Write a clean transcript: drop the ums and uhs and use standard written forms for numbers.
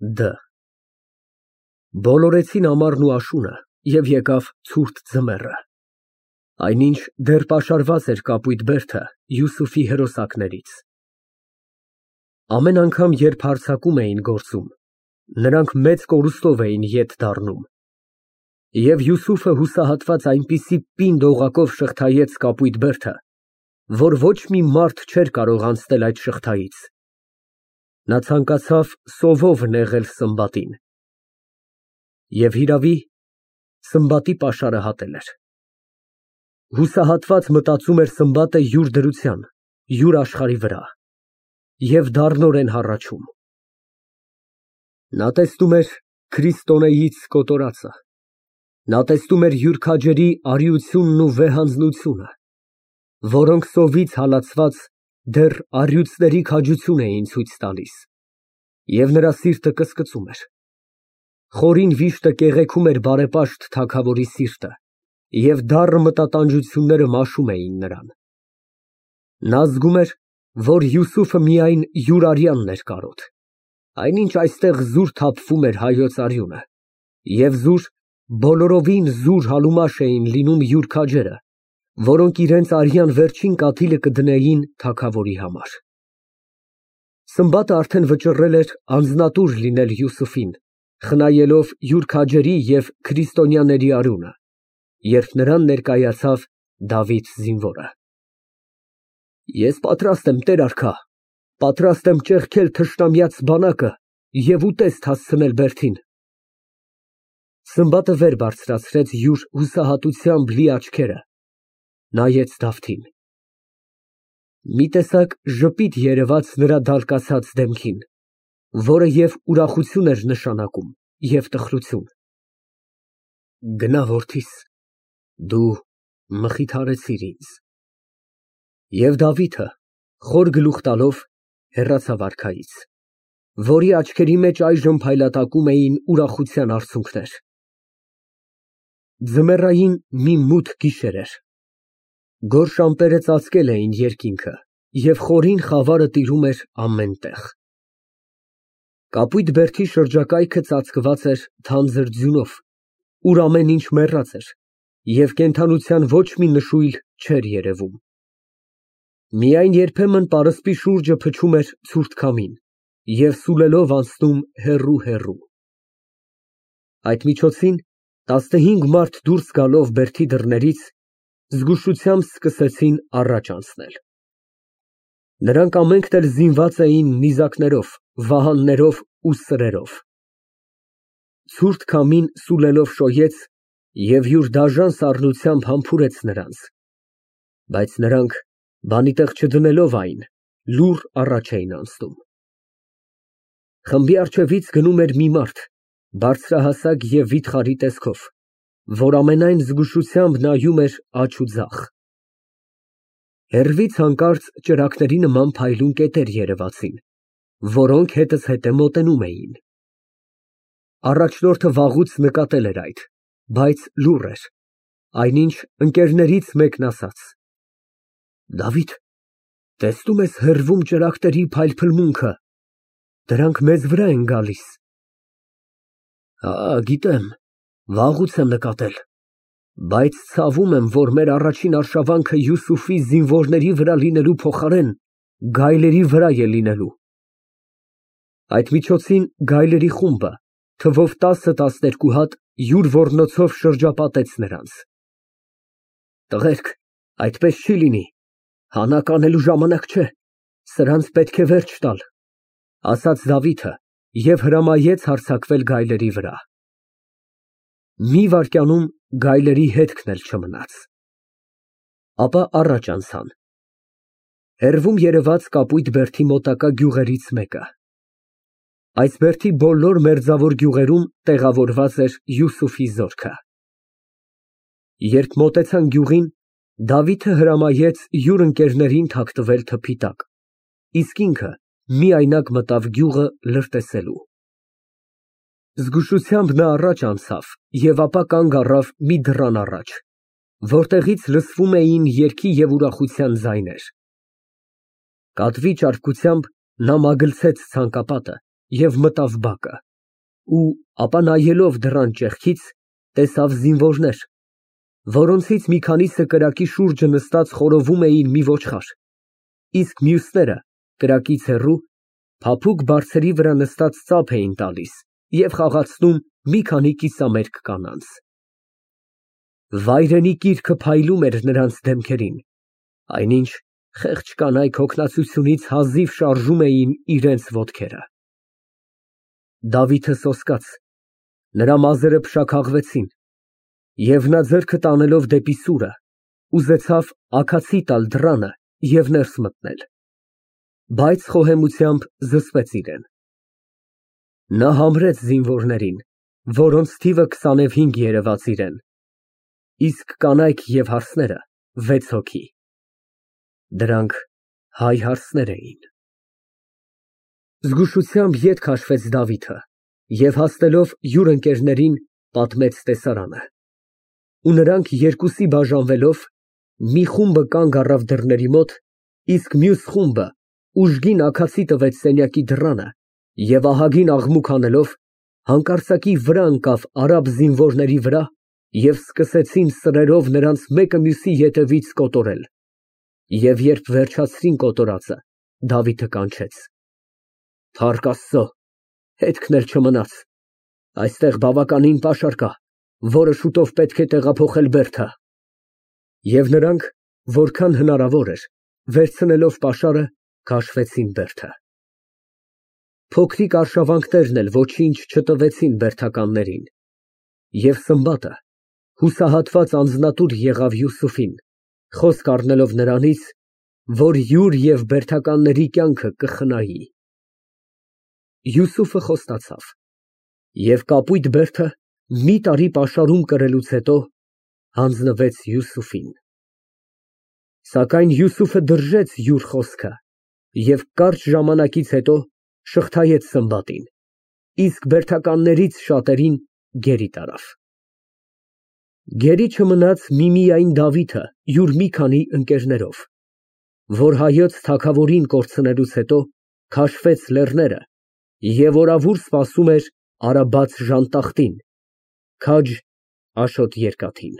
Դ Բոլորեցին ամառն ու աշունը, և եկավ ցուրտ ձմեռը, այնինչ դեռ պաշարված էր կապույտ բերդը Յուսուֆի հրոսակներից։ Ամեն անգամ, երբ հարձակում էին գործում, նրանք մեծ կորուստով էին ետ դառնում, և Յուսուֆը հուսահատված այնպիսի պինդ օղակով շղթայեց կապույտ բերդը, որ ոչ մի մարդ չէր կարող անցնել այդ շղթայից։ Նա ցանկացավ սովով նեղել Սմբատին։ Եվ հիրավի, Սմբատի պաշարը հատել էր։ Հուսահատված մտածում էր Սմբատը յուր դրության, յուր աշխարհի վրա, և դառնորեն հառաչում։ Նա տեսնում էր քրիստոնեից կոտորածը, նա տեսնում էր յուր քաջերի արիությունն ու վեհանձնությունը, որոնք սովից հալածված դեռ առյուծների քաջություն էին ցույց տալիս, և նրա սիրտը կսկծում էր։ Խորին վիշտը կեղեքում էր բարեպաշտ թագավորի սիրտը, և դառը մտատանջությունները մաշում էին նրան։ Նա զգում էր, որ Յուսուֆը միայն յուր արյանն էր կարոտ, այնինչ այստեղ զուր թափվում էր հայոց արյունը, և զուր, բոլորովին զուր համեմաշ էին լինում յուր քաջերը, որոնք իրենց արյան վերջին կաթիլը կդնեին թագավորի համար։ Սմբատը արդեն վճռել էր անձնատուր լինել Յուսուֆին, խնայելով յուր քաջերի և քրիստոնյաների արյունը, երբ նրան ներկայացավ Դավիթ զինվորը։ Ես պատրաստ եմ, տեր արքա, պատրաստ եմ ճեղքել թշնամյաց բանակը և ուտեստ հասցնել բերդին։ Սմբատը վեր բարձրացրեց յուր հուսահատությամբ լի աչքերը, նայեց Դավթին։ Մի տեսակ ժպիտ երևաց նրա դալկացած դեմքին, որը և ուրախություն էր նշանակում, և տխրություն։ Գնա, որդիս, դու մխիթարեցիր ինձ։ Եվ Դավիթը, խոր գլուխ տալով, հեռացավ արքայից, որի աչքերի մեջ այժմ փայլատակում էին ուրախության արցունքներ։ Ձմեռային մի մութ գիշեր էր։ Գորշ ամպերը ծածկել էին երկինքը, և խորին խավարը տիրում էր ամեն տեղ։ Կապույտ բերդի շրջակայքը ծածկված էր թանձր ձյունով, ուր ամեն ինչ մեռած էր, և կենդանության ոչ մի նշույլ չէր երևում։ Միայն երբեմն պարսպի շուրջը փչում էր ցուրտ քամին և սուլելով անցնում հեռու։ Այդ միջոցին 15 մարդ դուրս գալով բերդի դռներից, զգուշությամբ սկսեցին առաջ անցնել։ Նրանք ամենքն էլ զինված էին նիզակներով, վահաններով ու սրերով։ Ցուրտ քամին սուլելով շոյեց և յուր դաժան սառնությամբ համբուրեց նրանց, բայց նրանք, բանի տեղ չդնելով այն, լուռ առաջ էին անցնում։ Խմբի առջևից գնում էր մի մարդ, բարձրահասակ և վիթխարի տեսքով, որ ամենայն զգուշությամբ նայում էր աջ ու ձախ։ Հեռվից հանկարծ ճրագների նման փայլուն կետեր երևացին, որոնք հետզհետե մոտենում էին։ Առաջնորդը վաղուց նկատել էր այդ, բայց լուռ էր, այնինչ ընկերներից մեկն ասաց. Դավիթ, տեսնո՞ւմ ես հեռվում ճրագների փայլփլմունքը, դրանք մեզ վրա են գալիս։ Հա, գիտեմ, վաղուց եմ նկատել, բայց ցավում եմ, որ մեր առաջին արշավանքը Յուսուֆի զինվորների վրա լինելու փոխարեն գայլերի վրա է լինելու։ Այդ միջոցին գայլերի խումբը, թվով 10-12 հատ, յուր ոռնոցով շրջապատեց նրանց։ Տղերք, այդպես չի լինի, հանակ անելու ժամանակ չէ, սրանց պետք է վերջ տալ, ասաց Դավիթը և հրամայեց հարձակվել գայլերի վրա։ Մի վայրկյանում գայլերի հետքն էլ չմնաց։ Ապա առաջ անցան։ Հեռվում երևաց կապույտ բերդի մոտակա գյուղերից մեկը։ Այս բերդի բոլոր մերձավոր գյուղերում տեղավորված էր Յուսուֆի զորքը։ Երբ մոտեցան գյուղին, Դավիթը հրամայեց յուր ընկերներին թաքնվել թփի տակ, իսկ ինքը միայնակ մտավ գյուղը լրտեսելու։ Զգուշությամբ նա առաջ անցավ և ապա կանգ առավ մի դռան առաջ, որտեղից լսվում էին երգի և ուրախության ձայներ։ Կատվի ճարպկությամբ նա մագլցեց ցանկապատը և մտավ բակը։ ու ապա նայելով դռան ճեղքից, տեսավ զինվորներ, որոնցից մի քանիսը կրակի շուրջը նստած խորովում էին մի ոչխար, իսկ մյուսները կրակից հեռու փափուկ բարձերի վրա նստած ծափ էին տալիս և խաղացնում մի քանի կիսամերկ կանանց։ Վայրենի կիրքը փայլում էր նրանց դեմքերին, այնինչ խեղճ կանայք հոգնածությունից հազիվ շարժում էին իրենց ոտքերը։ Դավիթը սոսկաց, նրա մազերը փշաքաղվեցին, և նա ձեռքը տանելով դեպի սուրը, ուզեցավ աքացի տալ դռանը և ներս մտնել, բայց խոհեմությամբ զսպեց իրեն։ Նա համրեց զինվորներին, որոնց թիվը 25 երևաց իրեն, իսկ կանայք և հարսները 6 հոգի։ Դրանք հայ հարսներ էին։ Զգուշությամբ ետ քաշվեց Դավիթը և հասնելով յուր ընկերներին պատմեց տեսարանը։ Ու նրանք երկուսի բաժանվելով, մի խումբը կանգ առավ դռների մոտ, իսկ մյուս խումբը ուժգին աքացի տվեց սենյակի դռանը և ահագին աղմուկ անելով, հանկարծակի վրա ընկավ արաբ զինվորների վրա և սկսեցին սրերով նրանց մեկը մյուսի ետևից կոտորել, և երբ վերջացրին կոտորածը, Դավիթը կանչեց. «Փառք Աստծո, հետքն էլ չմնաց, այստեղ բավականին պաշար կա, որը շուտով պետք է տեղափոխել Բերդը»։ Եվ նրանք, որքան հնարավոր էր, վերցնելով պաշարը, քաշվեցին Բերդը։ Փոքրիկ արշավանքներն էլ ոչինչ չտվեցին բերդականներին, և Սմբատը հուսահատված անձնատուր եղավ Յուսուֆին, խոսք առնելով նրանից, որ յուր և բերդականների կյանքը կխնայի։ Յուսուֆը խոստացավ, և կապույտ բերդը մի տարի պաշարում կրելուց հետո հանձնվեց Յուսուֆին։ Սակայն Յուսուֆը դրժեց յուր խոսքը և կարճ ժամանակից հետո շղթայեց Սմբատին, իսկ բերդականներից շատերին գերի տարավ։ Գերի չմնաց միմիայն Դավիթը յուր մի քանի ընկերներով, որ հայոց թագավորին կորցնելուց հետո քաշվեց լեռները և օրավուր սպասում էր Արաբած ժանտախտին, քաջ Աշոտ երկաթին։